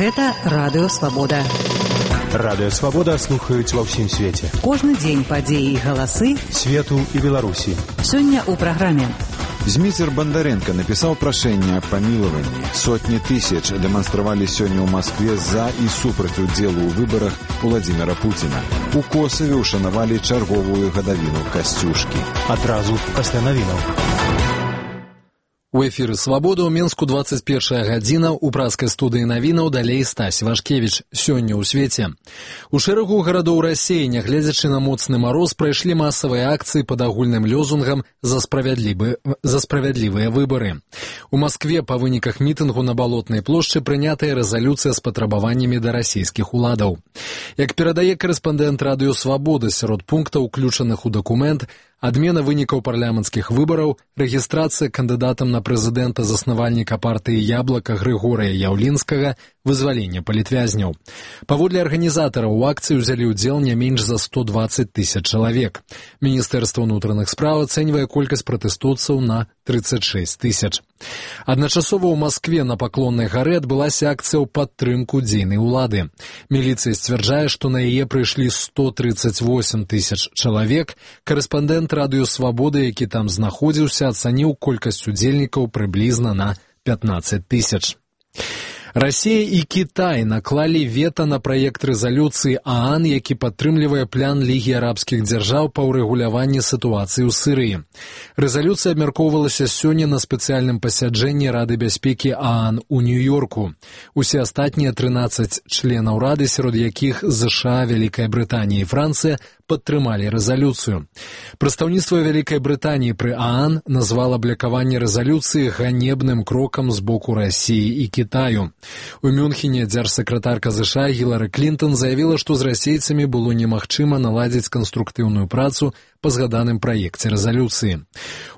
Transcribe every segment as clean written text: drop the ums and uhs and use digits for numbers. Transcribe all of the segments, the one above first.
Гэта Радыё Свабода. Радыё Свабода слухаюць ва ўсім свеце. Кожны дзень падзеі і галасы свету і Беларусі. Сёння ў праграме. Зміцер Бандаренко написал прошение о помиловании. Сотни тысяч демонстрировали сегодня в Москве за и супраць удзелу ў выборах Владимира Путина. У Косаве ушанавалі чарговую гадавіну Касцюшкі. Адразу пасля навінаў. У эфіры «Свабода» ў Менску 21 гадзіна, у праскай студыі навінаў далей Стась Вашкевіч. Сёння ў свеце. У шэрагу гарадоў Расіі, нягледзячы на моцны мароз, прайшлі масавыя акцыі пад агульным лозунгам за справядлівыя выбары. У Маскве па выніках мітынгу на Балотнай плошчы прынятая рэзалюцыя з патрабаваннямі да расійскіх уладаў. Як перадае корэспандэнт Радыё Свабода, сярод пунктаў, уключаных у дакумент, адмена вынікаў парламенцкіх выбараў, рэгістрацыя кандыдатам на прэзідэнта заснавальніка партыі «Яблака» Грыгорыя Яўлінскага, вызваленне палітвязняў. Паводле арганізатараў у акцыі ўзялі ўдзел не менш за 120 тысяч чалавек. Міністэрства ўнутраных спраў ацэньвае колькасць пратэстоўцаў на 36 тысяч. Адначасова ў Маскве на Паклоннай гары адбылася акцыя ў падтрымку дзейнай улады. Міліцыя сцвярджае, што на яе прыйшлі 138 тысяч чалавек. Корэспандэнт Радыё Свабода, які там знаходзіўся, ацаніў колькасць удзельнікаў прыблізна на 15 тысяч. Расія і Кітай наклалі вета на праект рэзалюцыі ААН, які падтрымлівае план Лігі арабскіх дзяржаў па ўрэгуляванні сітуацыі ў Сірыі. Рэзалюцыя абмяркоўвалася сёння на спецыяльным пасяджэнні Рады бяспекі ААН у Нью-Йорку. Усе астатнія 13 членаў Рады, сярод якіх ЗША, Вялікая Брытанія і Францыя, падтрымалі рэзалюцыю. Прадстаўніцтва Вялікай Брытаніі пры ААН назвала блакаванне рэзалюцыі ганебным крокам з боку Расіі і Кітаю. У Мюнхене дзяржсакратарка ЗША Гілары Клінтон заявіла, што з расейцамі было немагчыма наладзіць канструктыўную працу па згаданым праекце рэзалюцыі.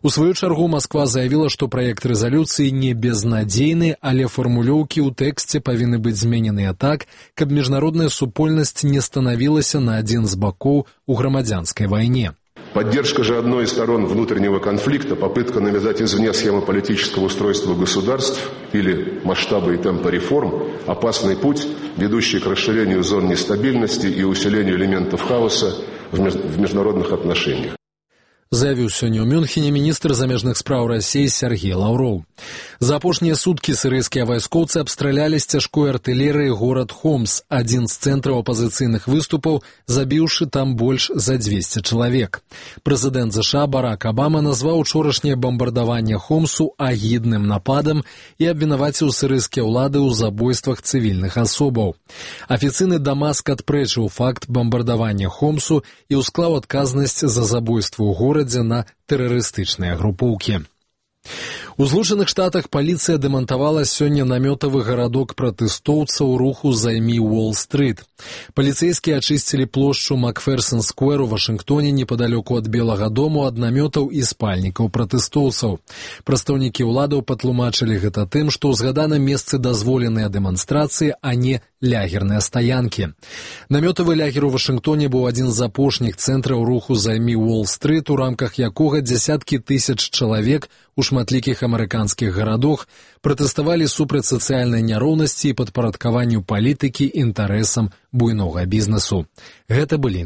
У сваю чаргу Масква заявіла, што праект рэзалюцыі не безнадзейны, але фармулёўкі ў тэксце павінны быць змененыя так, каб міжнародная супольнасць не станавілася на адзін з бакоў у грамадзянскай вайне. Поддержка же одной из сторон внутреннего конфликта, попытка навязать извне схему политического устройства государств или масштабы и темпы реформ – опасный путь, ведущий к расширению зон нестабильности и усилению элементов хаоса в международных отношениях. Заявіў сёння ў Мюнхене міністр замежных спраў Расіі Сергей Лаўроў. За апошнія суткі сірыйскія вайскоўцы абстралялі з цяжкой артылерыі горад Хомс, адзін з цэнтраў апазіцыйных выступаў, забіўшы там больш за 200 чалавек. Прэзідэнт ЗША Барак Абама назваў учорашняе бамбардаванне Хомсу агідным нападам і абвінаваціў сірыйскія ўлады ў забойствах цывільных асобаў. Афіцыйны Дамаск адпрэчыў факт бамбардавання Хомсу і ўсклаў адказнасць за забойство ў горадзе на тэрарыстычныя групоўкі. У Злучаных Штатах паліцыя дэмантавала сёння намётавы гарадок пратэстоўцаў руху «Займі Уолл-стрыт». Паліцэйскія ачысцілі плошчу Макферсон-сквер у Вашынгтоне непадалёку ад Белага дому ад намётаў і спальнікаў пратэстоўцаў. Прадстаўнікі ўладаў патлумачылі гэта тым, што ў згаданым месцы дазволеныя дэманстрацыі, а не лягерныя стаянкі. Намётавы лагер у Вашынгтоне быў адзін з апошніх цэнтраў руху «Займі Уолл-стрыт», у рамках якога дзясяткі тысяч чалавек у шматлікіх амерыканскіх гарадах пратэставалі супраць сацыяльнай няроўнасці і падпарадкаванню палітыкі інтарэсам буйнога бізнесу. Гэта былі